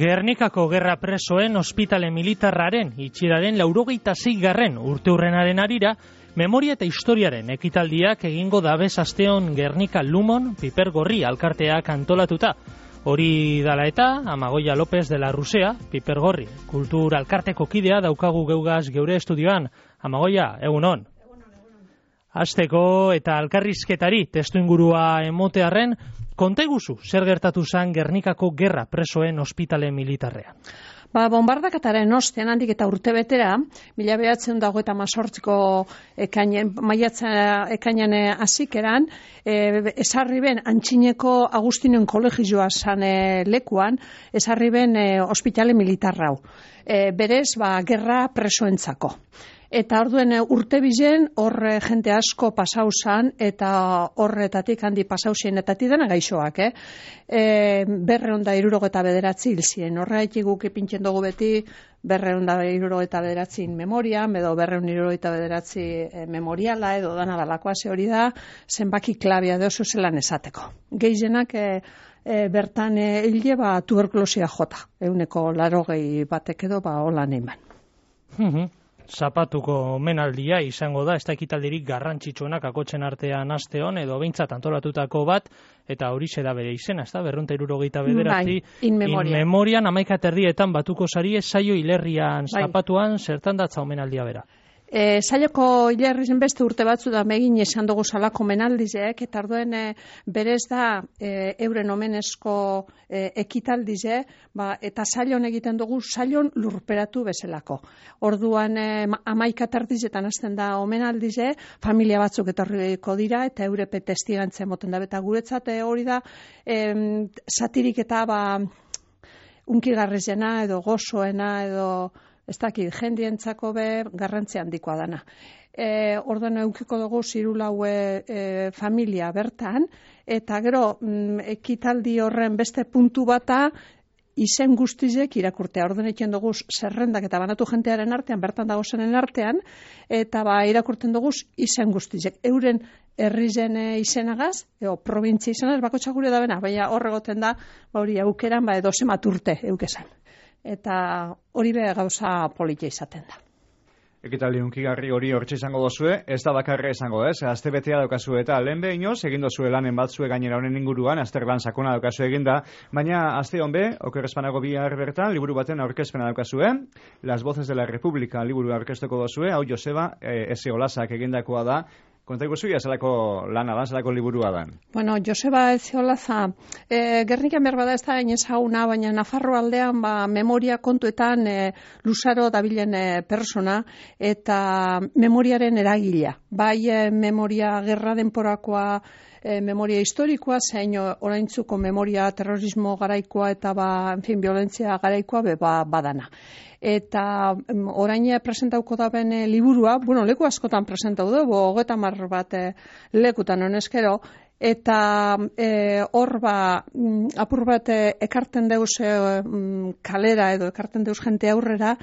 Gernikako gerra presoen ospitale militarraren itxieraren 86. urteurrenaren arira, memoria eta historiaren ekitaldiak egingo dabez asteon Gernika Lumon Piper Gorri alkarteak antolatuta. Hori dala eta, Amagoia López de la Rusea, Piper Gorri, kultur alkarteko kidea daukagu geugaz geure estudioan. Amagoia, egunon. Hasteko eta alkarrizketari testu ingurua emotearren, konteguzu zer gertatu zen Gernikako gerra presoen ospitale militarrean. Bombardakataren ostean handik eta urtebetera, 1928ko ekainan hasikeran, esarri ben Antxineko Agustinen kolegioa zan lekuan, esarri ben ospitale militarrau. Berez, gerra presoentzako. Eta orduen urte bizen, hor jente asko pasau zan, eta horretatik handi pasau zienetatik dena gaixoak, 279 hil ziren. Horregatik guk ipintzen dugu beti 279 memorian, edo 279 memoriala, edo dana dalakoa ze hori da, zenbaki klabia oso zelan esateko. Gehienak bertan hile tuberkulosia jota, 180 batek edo holan eiman. Zapatuko menaldia izango da, ez da ekitaldirik garrantzitsuenak akotzen artean asteon, edo behintzat antolatutako bat, eta hori da bere izena, ez da, 279, in memorian, 11 batuko sari, saio hilerrian zapatuan, zertan datza omenaldia bera? Saioko hilerrizen beste urte batzu da megin esan dugu salako menaldizeek, eta orduen berez da euren omenezko ekitaldize, eta sailon egiten dugu sailon lurperatu bezalako. Orduan 11 tardizetan hasten da omenaldize, familia batzuk etorriko dira, eta eurepe testigantzen moten da, eta guretzat hori da satirik eta unkigarrizena, edo gozoena, edo ez dakit, jendientzako garrantzi handikoa dana. Orduan eukiko dugu zirulaue familia bertan, eta gero ekitaldi horren beste puntu bata izen guztizek irakurtea. Orduan egiten dugu zerrendak eta banatu jentearen artean, bertan dago zenen artean, eta irakurten dugu izen guztizek. Euren herrizen izenagaz, provintzia izenagaz, bakotxa gure da bena, baina horregoten da, hori aukeran, edo zemat urte eukezan. Eta hori gauza politia izaten da. Ekitaldi hunkigarri hori hortxe izango dozue, ez da bakarra izango ez, azte betea daukazu eta lehen behinoz, egin dozue lanen batzue gainera honen inguruan, azter lan sakona daukazu eginda, baina azte hon okerrezpanago bihar bertan, liburu baten aurkezpena daukazue, Las Voces de la República liburu aurkezteko dozue, hau Joseba Ezeolazak egindakoa da. Konta iguzu, zelako lana da, zelako liburua da? Bueno, Joseba Ezeolaza, Gernikan berbada ez da ezaguna, baina Nafarro aldean memoria kontuetan luzaro dabilen persona eta memoriaren eragilea. Bai memoria gerra denporakoa, memoria historikoa, zein oraintzuko memoria terrorismo garaikoa eta violentzia garaikoa badana. Eta orain presentauko da ben liburua, leku askotan presentau dugu, 30 bat lekutan honezkero, eta hor apur bat ekarten deuz kalera edo ekarten deuz jente aurrera,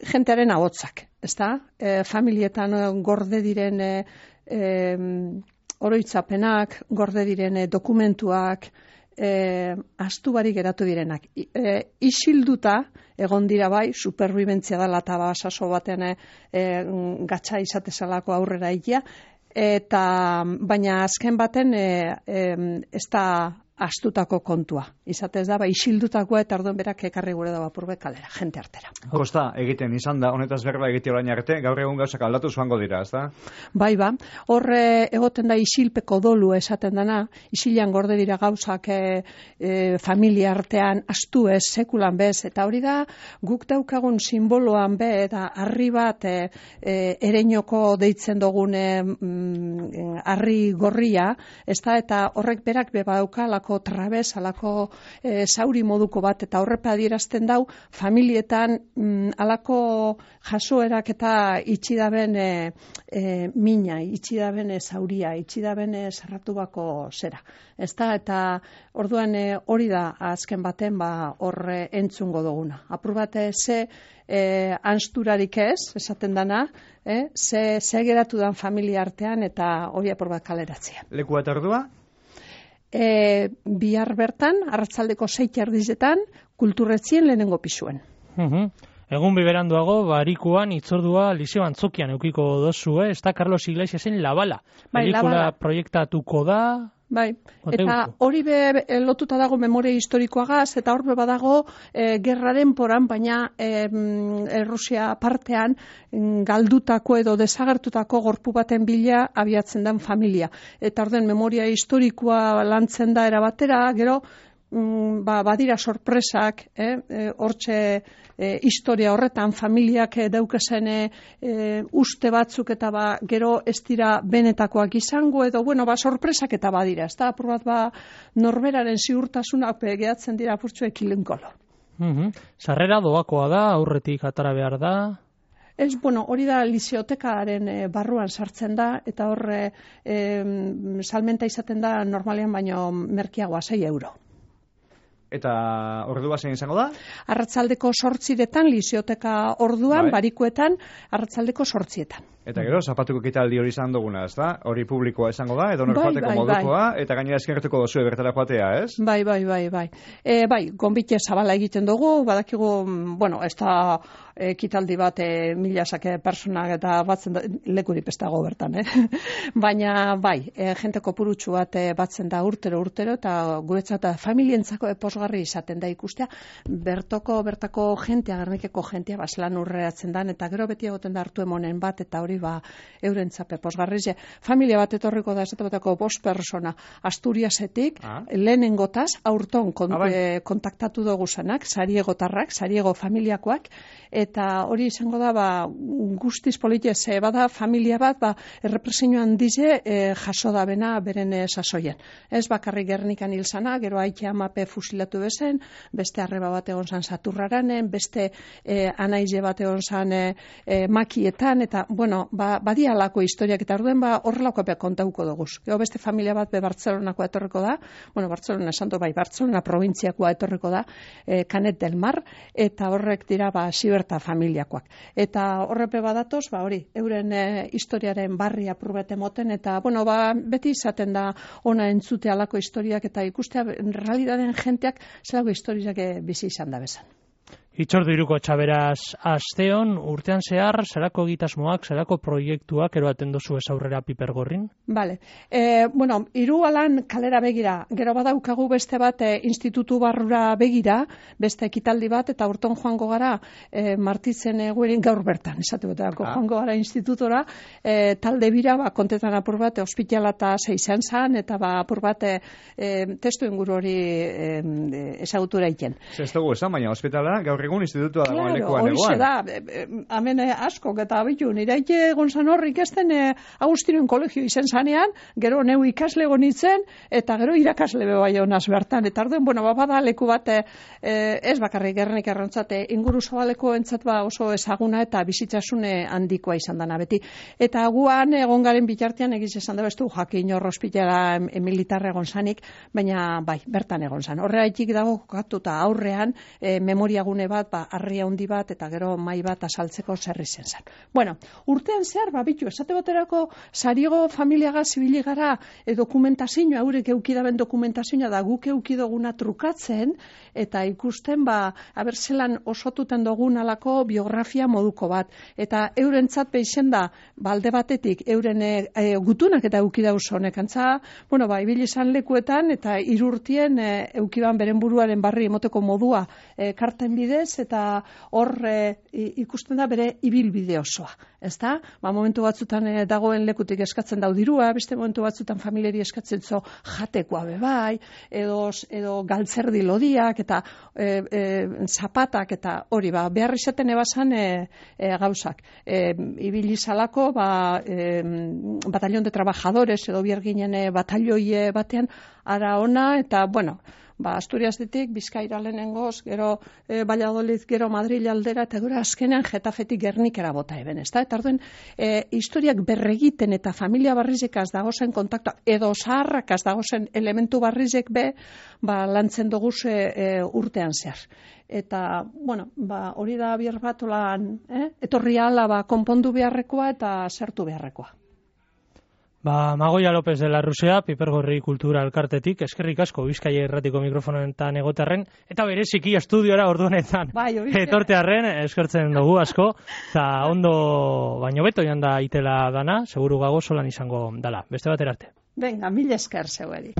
jentearen ahotzak, ezta? Familietan gorde diren oroitzapenak, gorde diren dokumentuak, astu barik geratu direnak. Isilduta egon dira bai, superbibentzia dela eta saso batean gatsa izatezalako aurrera egia, baina azken baten ez da astutako kontua. Izatez da, isildutakoa eta orduan berak ekarri gure da bapurbe kalera, jente artera. Kosta egiten izan da, honetaz berba egite orain arte, gaur egun gauzak aldatu zuango dira, ez da? Bai, horre egoten da isilpeko dolu esaten dana, isilan gorde dira gauzak familia artean, astu ez, sekulan bez, eta hori da, guk daukagun simboloan eta harri bat ereinoko deitzen dugun harri gorria, ez da, eta horrek berak badauka alako trabez, alako zauri moduko bat, eta horrepa adierazten dau, familietan alako jasoerak eta itxidaben mina, itxidaben zauria, itxidaben zerratu bako zera. Eta orduan hori da azken baten horre entzungo duguna. Apur bat ze ansturarik ez, esaten dana, ze geratu dan familia artean eta hori apur bat kaleratzea. Lekua eta ordua? bihar bertan, arratsaldeko 6:00 kulturretzien lehenengo pisuen. Egun biberanduago, barikuan itzordua Liceo Antzokian eukiko dozue, ez da Carlos Iglesiasen La Bala. Pelikula proiektatuko da... Bai, eta hori lotuta dago memoria historikoagaz, eta hor badago gerraren poran, baina Rusia partean galdutako edo desagertutako gorpu baten bila abiatzen den familia. Eta orden memoria historikoa lantzen da erabatera, gero badira sorpresak, hortxe historia horretan familiak daukazen uste batzuk eta gero ez dira benetakoak izango edo sorpresak eta badira, ez da apur bat norberaren ziurtasunak gehatzen dira apurtxo ekilinkolo. Sarrera doakoa da, aurretik atara behar da? Ez, hori da lizeotekaren barruan sartzen da, eta hor salmenta izaten da normalean baino merkeagoa 6 euro. Eta ordua zein izango da? Arratsaldeko 8:00 lizeoteka orduan, barikuetan, arratsaldeko 8:00. Eta gero, zapatuko ekitaldi hori izan duguna, ez da? Hori publikoa izango da, edo norfateko modukoa, eta gainera eskertuko dozue bertara joatea, ez? Bai, gonbite zabala egiten dugu, badakigu, ez da ekitaldi bat milazake personak eta batzen da, lekurik ez dago bertan, Baina, jente kopurutxu bat batzen da urtero, eta guretzat familientzako posgarri izaten da ikustea, bertako jentea, Gernikeko jentea, zelan urreratzen dan, eta gero beti egoten da hartu emonen bat, eta hori eurentzape posgarri. Familia bat etorriko da, esateko 5 persona Asturiasetik, lehenengotaz, aurton kontaktatu dugu zanak, sariegotarrak, sariego familiakoak, eta hori izango da, guztiz politiez, bada familia bat, errepresioan dize, jaso da bena beren sasoien. Ez bakarrik Gernikan hil zana, gero aite amape fusilatu bezen, beste arreba bat egon zan Saturraranen, beste anaize bat egon zan makietan, eta, badia alako historiak, eta orduen horrelako kontauko dugu. Gero beste familia bat Bartzelonakoa etorriko da, Bartzelona esan du, Bartzelona provintziakoa etorriko da, Canet del Mar, eta horrek dira Siberta familiakoak. Eta horrepe badatoz, hori, euren historiaren barri apurbete moten, eta, beti izaten da ona entzute alako historiak, eta ikustea, realidaden jenteak, zelago historiak bizi izan da bezan. Itzordu iruko txaberaz asteon, urtean zehar, zerako egitasmoak, zerako proiektuak eroaten dozu ez aurrera Piper Gorrin? Bale. Hiru alan kalera begira, gero badaukagu beste bat institutu barrura begira, beste ekitaldi bat, eta urton joango gara Martitzen eguerin gaur bertan, esateko joango gara institutora, talde bira, kontetan apur bat, ospitala eta zeizan zan, eta apur bat testu inguru hori ezagutura iken. Ez dugu esan, baina ospitala gaur egun institutua dagoen lekuan egoan. Horixe da, hemen askok eta abitu, niraike egon zan horrik esten Agustinoen kolegio izen zanean, gero neu ikasle gonitzen, eta gero irakasle bai honaz bertan, eta arduen, bada leku bat ez bakarrik Gernik errontzate, inguru zabaleko entzat oso ezaguna eta bizitzasune handikoa izan dana beti. Eta guan egon garen bitartean egiz esan da bestu jakin hor ospitala militarra egon zanik, baina bertan egon zan. Horregatik dago kokatuta aurrean memoriagune bat, harria handi bat, eta gero mai bat asaltzeko zerri zen zan. Urtean zehar, bitu, esate baterako sariego familiaga zibili gara dokumentazioa, haurek eukidaben dokumentazioa da guk eukidoguna trukatzen, eta ikusten, zelan osotuten dogun alako biografia moduko bat. Eta eurentzat beixen da, alde batetik, euren gutunak eta eukidau zonek. Antza, ibili izan lekuetan, eta irurtien eukiban beren buruaren barri emoteko modua karten bidez, eta hor ikusten da bere ibilbide osoa. Ez da? Momentu batzutan dagoen lekutik eskatzen dau dirua, beste momentu batzutan familiari eskatzen zo jatekoa bebai, edo galtzerdi lodiak, eta zapatak, eta hori, behar izaten ebasan gauzak. Ibilizalako, batallon de trabajadores, edo bierginen batalloi batean, ara ona, eta, Asturias ditik, Bizkaira lehenengoz, gero Valladolid, gero Madrid aldera, eta gero azkenean Getafetik Gernikera bota eben, ez da? Eta arduen, historiak berregiten eta familia barrizekaz dagozen kontaktua, edo zaharrakaz dagozen elementu barrizek lantzen doguz urtean zehar. Eta, hori da bier bat etorri ala konpondu beharrekoa eta zertu beharrekoa. Magoia López de la Rusea, Pipergorri Kultura Elkartetik, eskerrik asko Bizkaia Irratiko mikrofonetan egotearren, eta bereziki estudiora orduanetan etortearren, eskertzen dugu asko, eta ondo baino beto joan da itela dana, seguru gago solan izango dala. Beste batera arte. Venga, mil esker zeueri.